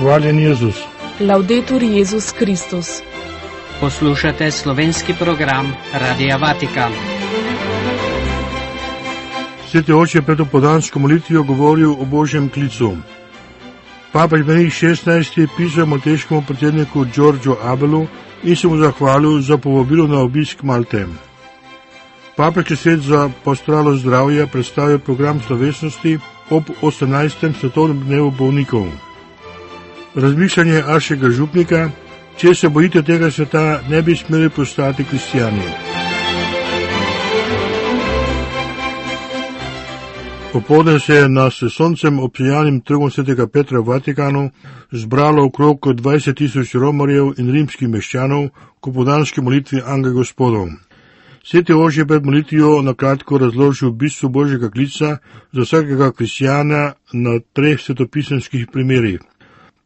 Hvaljen Jezus. Laudetur Jezus Kristus. Poslušate slovenski program Radia Vatikan. Sveti oče pred opoldansko molitvijo govoril o Božjem klicu. Papež Benedikt XVI je pisal malteškemu predsedniku Giorgio Abelu in se mu zahvalil za povabilo na obisk Malte. Papeški svet za pastoralo zdravja predstavil program slovesnosti ob 18. svetovnem dnevu bolnikov. Razmišljanje Ašega župnika: če se bojite tega sveta, ne bi smeli postati kristijani. Popoldne se je na s soncem obsijanim trgom svetega Petra v Vatikanu zbralo okrog 20.000 romarjev in rimskih meščanov k opoldanski molitvi Angel Gospodov. Sveti oče je pred molitvijo na kratko razložil bistvo Božjega klica za vsakega kristijana na 3 svetopisemskih primerih.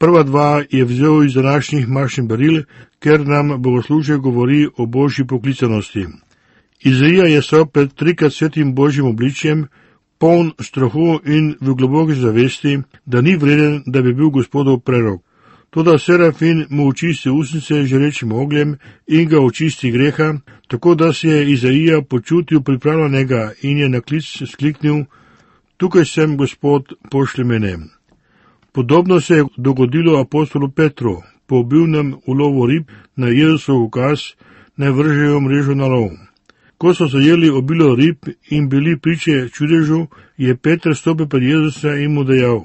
Prva 2 je vzel iz današnjih mašnih beril, ker nam bogoslužje govori o Božji poklicanosti. Izaija je stal pred 3krat svetim Božjim obličjem, poln strahu in v globoki zavesti, da ni vreden, da bi bil Gospodov prerok. Toda Serafin mu očisti usnice žarečim ogljem in ga očisti greha, tako da se je Izaija počutil pripravljenega in je na klic skliknil: tukaj sem, Gospod, pošlji mene. Podobno se je dogodilo apostolu Petru, po obilnem ulovu rib na Jezusov ukaz, naj vržejo mrežo na lov. Ko so zajeli obilo rib in bili priče čudežu, je Peter stopil pred Jezusa in mu dejal: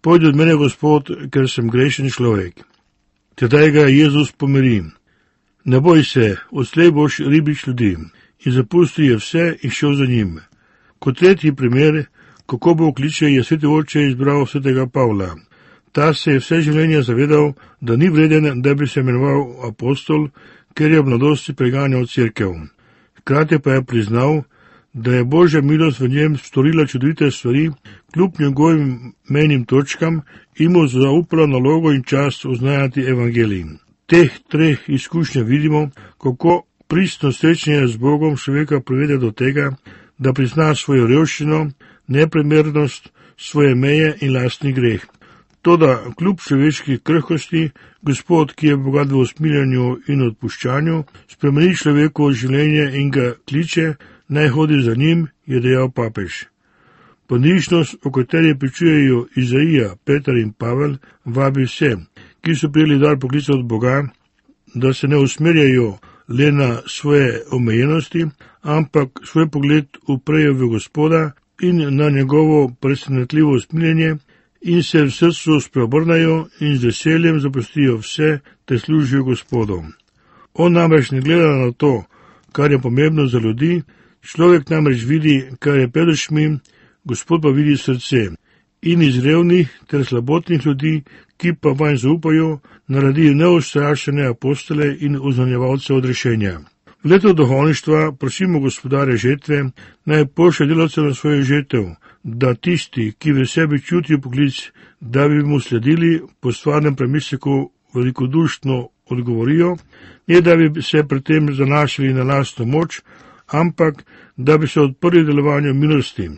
pojdi od mene, Gospod, ker sem grešen človek. Tedaj ga Jezus pomiri: ne boj se, odslej boš ribič ljudi. In zapustil je vse in šel za njim. Kot tretji primer, kako Bog kliče, je sveti oče izbral svetega Pavla. Ta se je vse življenje zavedal, da ni vreden, da bi se imenoval apostol, ker je v mladosti preganjal cerkev. Hkrati pa je priznal, da je Božja milost v njem storila čudovite stvari, kljub njegovim mejnim točkam, in mu zaupala nalogo in čast oznajati evangelij. Teh 3 izkušnjah vidimo, kako pristno srečanje z Bogom človeka privede do tega, da prizna svojo revščino, neprimernost, svoje meje in lastni greh. Toda kljub človeški krhkosti, Gospod, ki je bogat v usmiljanju in odpuščanju, spremeni človekovo življenje in ga kliče, naj hodi za njim, je dejal papež. Ponižnost, o kateri pričujejo Izaija, Peter in Pavel, vabi vse, ki so prijeli dar poklica od Boga, da se ne usmerjajo le na svoje omejenosti, ampak svoj pogled uprejo v Gospoda in na njegovo presenetljivo usmiljenje in se v srcu spreobrnajo in z veseljem zapustijo vse, te služijo Gospodu. On namreč ne gleda na to, kar je pomembno za ljudi, človek namreč vidi, kar je pred očmi, Gospod pa vidi srce. In iz revnih ter slabotnih ljudi, ki pa vanj zaupajo, naredi neustrašene apostole in oznanjevalce odrešenja. V letu duhovništva prosimo Gospodarja žetve, naj pošlje delavce na svojo žetev, da tisti, ki v sebi čutijo poklic, da bi mu sledili, po stvarnem premisleku velikodušno odgovorijo, ne da bi se pri tem zanašali na lastno moč, ampak da bi se odprli delovanju milosti.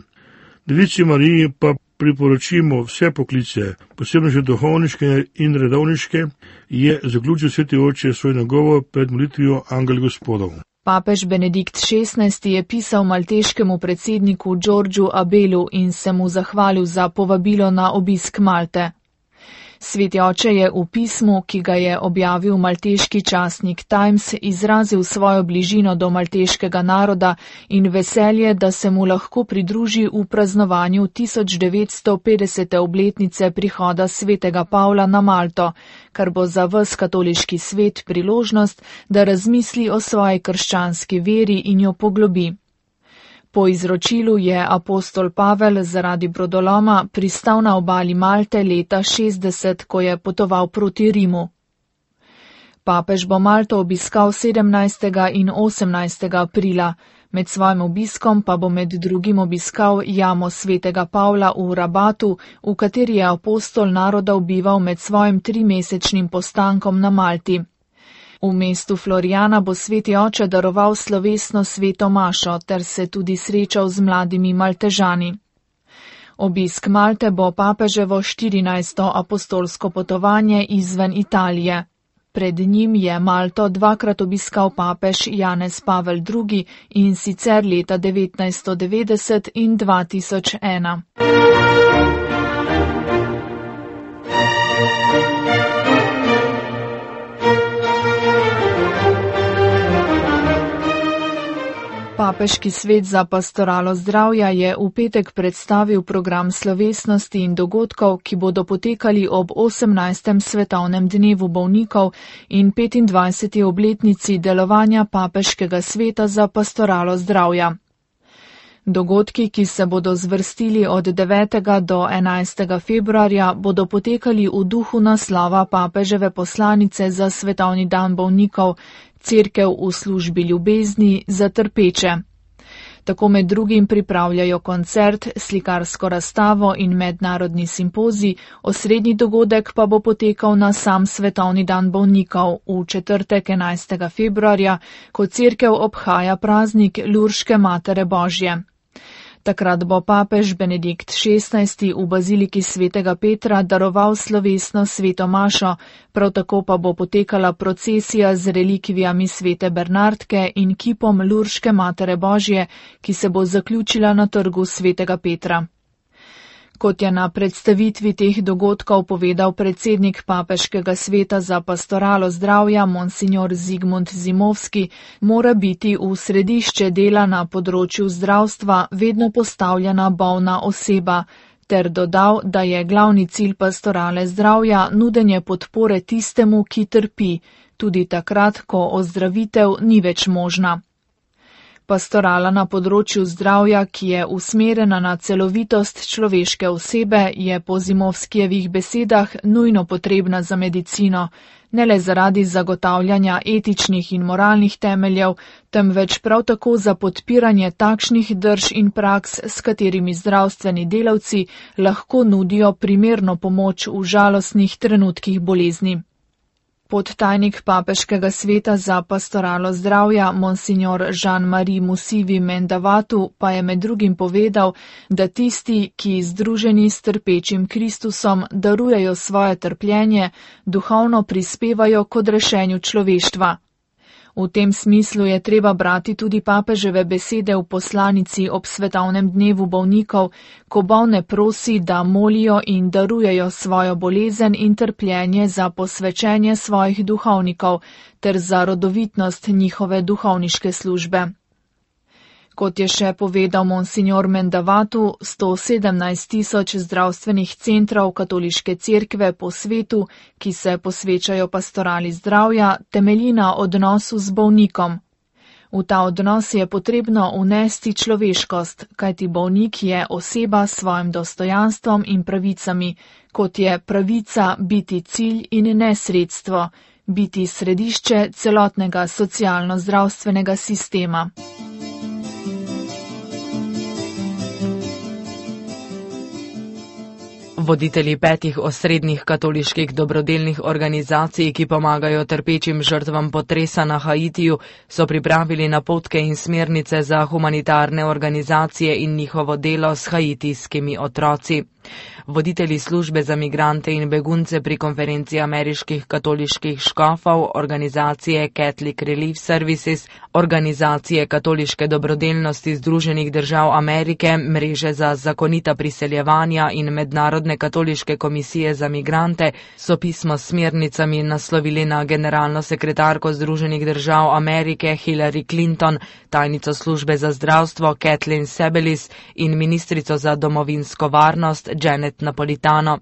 Devici Mariji pa priporočimo vse poklice, posebno že duhovniške in redovniške, je zaključil sveti oče svoj nagovor pred molitvijo Angel Gospodov. Papež Benedikt XVI je pisal malteškemu predsedniku Giorgiu Abelu in se mu zahvalil za povabilo na obisk Malte. Sveti oče je v pismu, ki ga je objavil malteški časnik Times, izrazil svojo bližino do malteškega naroda in veselje, da se mu lahko pridruži v praznovanju 1950. obletnice prihoda svetega Pavla na Malto, kar bo za ves katoliški svet priložnost, da razmisli o svoji krščanski veri in jo poglobi. Po izročilu je apostol Pavel zaradi brodoloma pristal na obali Malte leta 60, ko je potoval proti Rimu. Papež bo Malto obiskal 17. in 18. aprila, med svojim obiskom pa bo med drugim obiskal jamo svetega Pavla v Rabatu, v kateri je apostol naroda bival med svojim 3-mesečnim postankom na Malti. V mestu Florijana bo sveti oče daroval slovesno sveto mašo ter se tudi srečal z mladimi Maltežani. Obisk Malte bo papeževo 14. apostolsko potovanje izven Italije. Pred njim je Malto dvakrat obiskal papež Janez Pavel II, in sicer leta 1990 in 2001. Papeški svet za pastoralo zdravja je v petek predstavil program slovesnosti in dogodkov, ki bodo potekali ob 18. svetovnem dnevu bolnikov in 25. obletnici delovanja Papeškega sveta za pastoralo zdravja. Dogodki, ki se bodo zvrstili od 9. do 11. februarja, bodo potekali v duhu naslova papeževe poslanice za svetovni dan bolnikov, Cerkev v službi ljubezni za trpeče. Tako med drugim pripravljajo koncert, slikarsko razstavo in mednarodni simpozij, osrednji dogodek pa bo potekal na sam svetovni dan bolnikov v četrtek 11. februarja, ko Cerkev obhaja praznik Lurške Matere Božje. Takrat bo papež Benedikt XVI v baziliki svetega Petra daroval slovesno sveto mašo, prav tako pa bo potekala procesija z relikvijami svete Bernardke in kipom Lurške Matere Božje, ki se bo zaključila na trgu svetega Petra. Kot je na predstavitvi teh dogodkov povedal predsednik Papeškega sveta za pastoralo zdravja monsignor Zigmund Zimovski, mora biti v središče dela na področju zdravstva vedno postavljena bolna oseba, ter dodal, da je glavni cilj pastorale zdravja nudenje podpore tistemu, ki trpi, tudi takrat, ko ozdravitev ni več možna. Pastorala na področju zdravja, ki je usmerjena na celovitost človeške osebe, je po Zimovskijevih besedah nujno potrebna za medicino, ne le zaradi zagotavljanja etičnih in moralnih temeljev, temveč prav tako za podpiranje takšnih drž in praks, s katerimi zdravstveni delavci lahko nudijo primerno pomoč v žalostnih trenutkih bolezni. Podtajnik Papeškega sveta za pastoralo zdravja monsignor Jean-Marie Musivi Mendavatu pa je med drugim povedal, da tisti, ki združeni s trpečim Kristusom darujejo svoje trpljenje, duhovno prispevajo k odrešenju človeštva. V tem smislu je treba brati tudi papeževe besede v poslanici ob svetovnem dnevu bolnikov, ko bolne prosi, da molijo in darujejo svojo bolezen in trpljenje za posvečenje svojih duhovnikov ter za rodovitnost njihove duhovniške službe. Kot je še povedal monsignor Mendavatu, 117 tisoč zdravstvenih centrov katoliške cerkve po svetu, ki se posvečajo pastorali zdravja, temelji na odnosu z bolnikom. V ta odnos je potrebno unesti človeškost, kajti bolnik je oseba s svojim dostojanstvom in pravicami, kot je pravica biti cilj in ne sredstvo, biti središče celotnega socialno-zdravstvenega sistema. Voditelji 5 osrednjih katoliških dobrodelnih organizacij, ki pomagajo trpečim žrtvam potresa na Haitiju, so pripravili napotke in smernice za humanitarne organizacije in njihovo delo s haitijskimi otroci. Voditelji službe za migrante in begunce pri konferenci ameriških katoliških škofov, organizacije Catholic Relief Services, organizacije katoliške dobrodelnosti Združenih držav Amerike, mreže za zakonita priseljevanja in mednarodne katoliške komisije za migrante so pismo s smernicami naslovili na generalno sekretarko Združenih držav Amerike Hillary Clinton, tajnico službe za zdravstvo Kathleen Sebelis in ministrico za domovinsko varnost Janet Napolitano.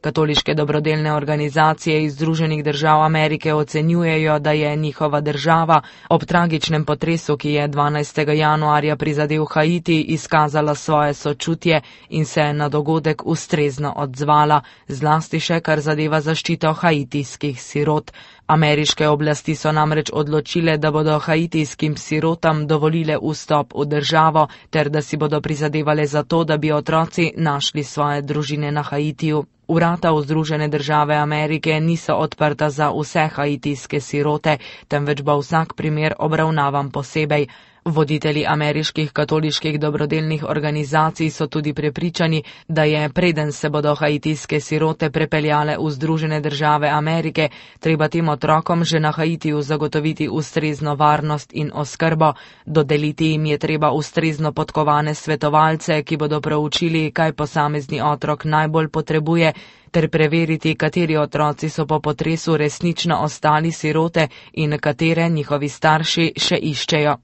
Katoliške dobrodelne organizacije iz Združenih držav Amerike ocenjujejo, da je njihova država ob tragičnem potresu, ki je 12. januarja prizadel Haiti, izkazala svoje sočutje in se na dogodek ustrezno odzvala, zlasti še kar zadeva zaščito haitijskih sirot. Ameriške oblasti so namreč odločile, da bodo haitijskim sirotam dovolile vstop v državo, ter da si bodo prizadevale za to, da bi otroci našli svoje družine na Haitiju. Vrata v Združene države Amerike niso odprta za vse haitijske sirote, temveč bo vsak primer obravnavan posebej. Voditelji ameriških katoliških dobrodelnih organizacij so tudi prepričani, da je, preden se bodo haitijske sirote prepeljale v Združene države Amerike, treba tem otrokom že na Haitiju zagotoviti ustrezno varnost in oskrbo, dodeliti jim je treba ustrezno podkovane svetovalce, ki bodo proučili, kaj posamezni otrok najbolj potrebuje, ter preveriti, kateri otroci so po potresu resnično ostali sirote in katere njihovi starši še iščejo.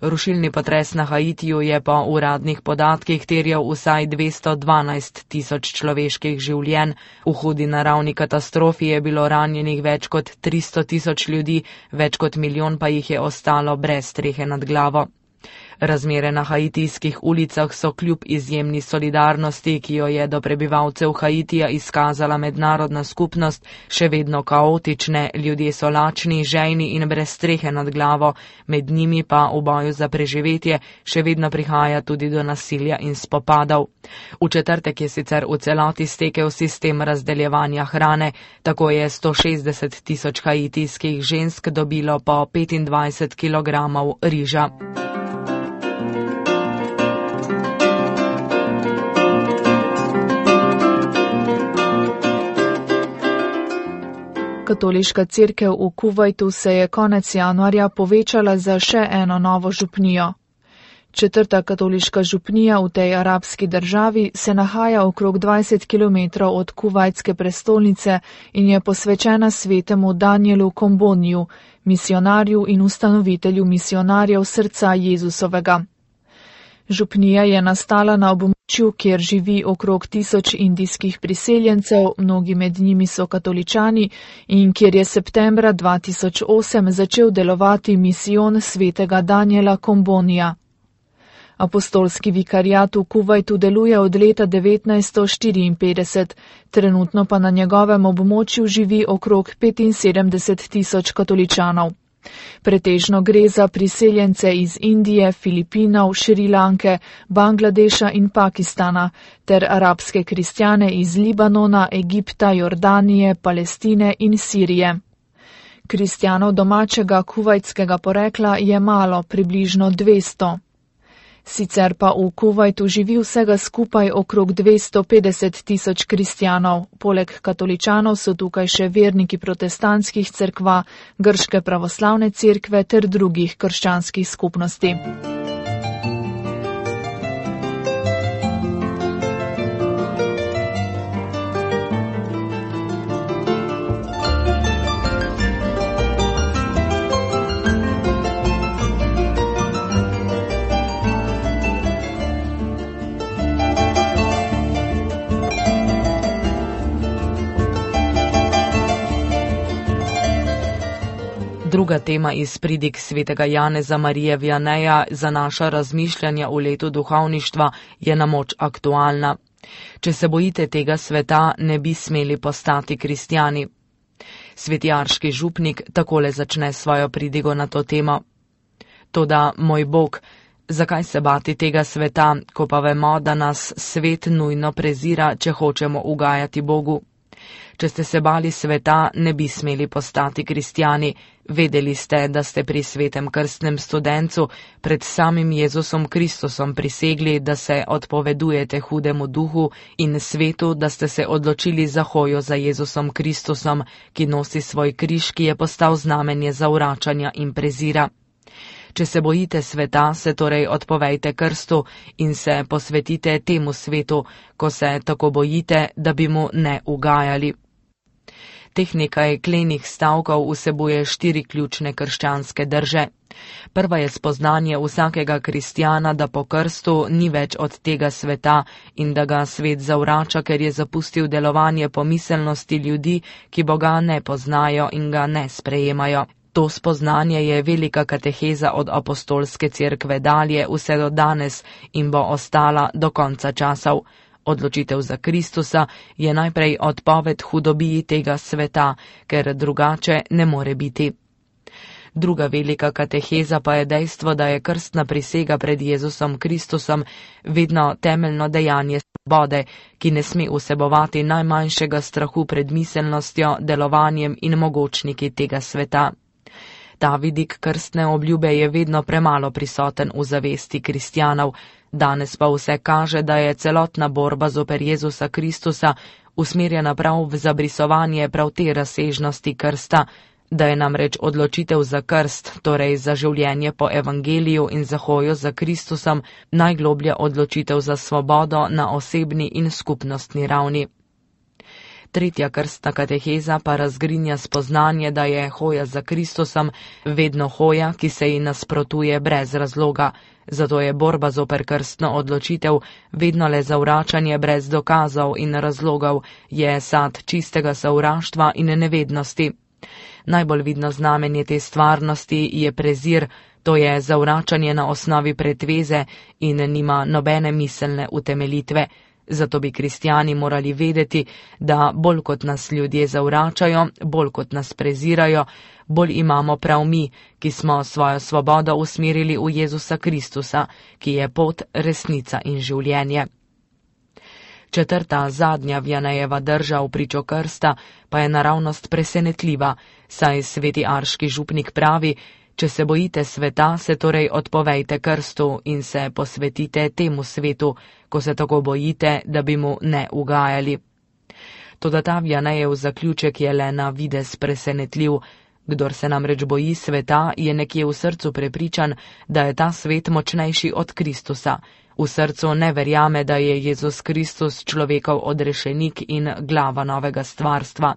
Rušilni potres na Haitiju je po uradnih podatkih terjal vsaj 212 tisoč človeških življenj. V hudi naravni katastrofi je bilo ranjenih več kot 300 tisoč ljudi, več kot milijon pa jih je ostalo brez strehe nad glavo. Razmere na haitijskih ulicah so kljub izjemni solidarnosti, ki jo je do prebivalcev Haitija izkazala mednarodna skupnost, še vedno kaotične, ljudje so lačni, žejni in brez strehe nad glavo, med njimi pa v boju za preživetje še vedno prihaja tudi do nasilja in spopadov. V četrtek je sicer v celoti stekel sistem razdeljevanja hrane, tako je 160 tisoč haitijskih žensk dobilo po 25 kilogramov riža. Katoliška cerkev v Kuvajtu se je konec januarja povečala za še eno novo župnijo. Četrta katoliška župnija v tej arabski državi se nahaja okrog 20 km od kuvajtske prestolnice in je posvečena svetemu Danielu Komboniju, misionarju in ustanovitelju misionarjev srca Jezusovega. Župnija je nastala na območju, kjer živi okrog 1000 indijskih priseljencev, mnogi med njimi so katoličani, in kjer je septembra 2008 začel delovati misijon svetega Daniela Kombonija. Apostolski vikariat v Kuvajtu deluje od leta 1954, trenutno pa na njegovem območju živi okrog 75 tisoč katoličanov. Pretežno gre za priseljence iz Indije, Filipinov, Šrilanke, Bangladeša in Pakistana, ter arabske kristjane iz Libanona, Egipta, Jordanije, Palestine in Sirije. Kristjanov domačega kuvajtskega porekla je malo, približno 200. Sicer pa v Kuvajtu živi vsega skupaj okrog 250 tisoč kristjanov. Poleg katoličanov so tukaj še verniki protestantskih cerkva, grške pravoslavne cerkve ter drugih krščanskih skupnosti. Druga tema iz pridig svetega Janeza Marije Vianeja za naša razmišljanja v letu duhovništva je na moč aktualna. Če se bojite tega sveta, ne bi smeli postati kristjani. Svetijarški župnik takole začne svojo pridigo na to temo. Toda, moj Bog, zakaj se bati tega sveta, ko pa vemo, da nas svet nujno prezira, če hočemo ugajati Bogu? Če ste se bali sveta, ne bi smeli postati kristjani. Vedeli ste, da ste pri svetem krstnem studencu pred samim Jezusom Kristusom prisegli, da se odpovedujete hudemu duhu in svetu, da ste se odločili za hojo za Jezusom Kristusom, ki nosi svoj križ, ki je postal znamenje zavračanja in prezira. Če se bojite sveta, se torej odpovejte krstu in se posvetite temu svetu, ko se tako bojite, da bi mu ne ugajali. Teh nekaj klenih stavkov vsebuje 4 ključne krščanske drže. Prva je spoznanje vsakega kristjana, da po krstu ni več od tega sveta in da ga svet zavrača, ker je zapustil delovanje pomiselnosti ljudi, ki Boga ne poznajo in ga ne sprejemajo. To spoznanje je velika kateheza od apostolske cerkve dalje vse do danes in bo ostala do konca časov. Odločitev za Kristusa je najprej odpoved hudobiji tega sveta, ker drugače ne more biti. Druga velika kateheza pa je dejstvo, da je krstna prisega pred Jezusom Kristusom vedno temeljno dejanje svobode, ki ne sme vsebovati najmanjšega strahu pred miselnostjo, delovanjem in mogočniki tega sveta. Ta vidik krstne obljube je vedno premalo prisoten v zavesti kristjanov, danes pa vse kaže, da je celotna borba zoper Jezusa Kristusa usmerjena prav v zabrisovanje prav te razsežnosti krsta, da je namreč odločitev za krst, torej za življenje po evangeliju in za hojo za Kristusom, najgloblja odločitev za svobodo na osebni in skupnostni ravni. Tretja krstna kateheza pa razgrinja spoznanje, da je hoja za Kristusom vedno hoja, ki se ji nasprotuje brez razloga. Zato je borba zoper krstno odločitev vedno le zavračanje brez dokazov in razlogov, je sad čistega sovraštva in nevednosti. Najbolj vidno znamenje te stvarnosti je prezir, to je zavračanje na osnovi pretveze in nima nobene miselne utemeljitve. Zato bi kristjani morali vedeti, da bolj kot nas ljudje zavračajo, bolj kot nas prezirajo, bolj imamo prav mi, ki smo svojo svobodo usmerili v Jezusa Kristusa, ki je pot, resnica in življenje. Četrta, zadnja Vianejeva drža v pričo krsta pa je naravnost presenetljiva, saj sveti arški župnik pravi: če se bojite sveta, se torej odpovejte krstu in se posvetite temu svetu, ko se tako bojite, da bi mu ne ugajali. Toda ta Vianejev zaključek je le na videz presenetljiv. Kdor se namreč boji sveta, je nekje v srcu prepričan, da je ta svet močnejši od Kristusa. V srcu ne verjame, da je Jezus Kristus človekov odrešenik in glava novega stvarstva.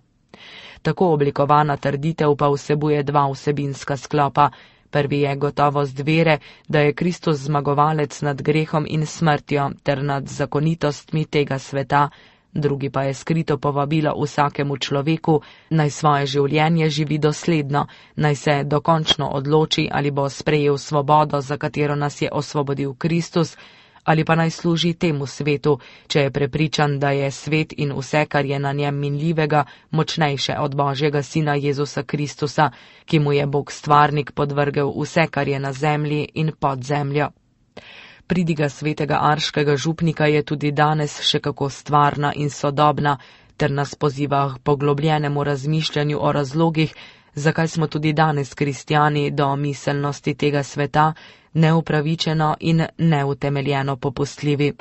Tako oblikovana trditev pa vsebuje dva vsebinska sklopa. Prvi je gotovost vere, da je Kristus zmagovalec nad grehom in smrtjo ter nad zakonitostmi tega sveta. Drugi pa je skrito povabilo vsakemu človeku, naj svoje življenje živi dosledno, naj se dokončno odloči, ali bo sprejel svobodo, za katero nas je osvobodil Kristus, ali pa naj služi temu svetu, če je prepričan, da je svet in vse, kar je na njem minljivega, močnejše od Božjega Sina Jezusa Kristusa, ki mu je Bog stvarnik podvrgel vse, kar je na zemlji in pod zemljo. Pridiga svetega arškega župnika je tudi danes še kako stvarna in sodobna, ter nas poziva k poglobljenemu razmišljanju o razlogih, zakaj smo tudi danes kristjani do miselnosti tega sveta neupravičeno in neutemeljeno popustljivi.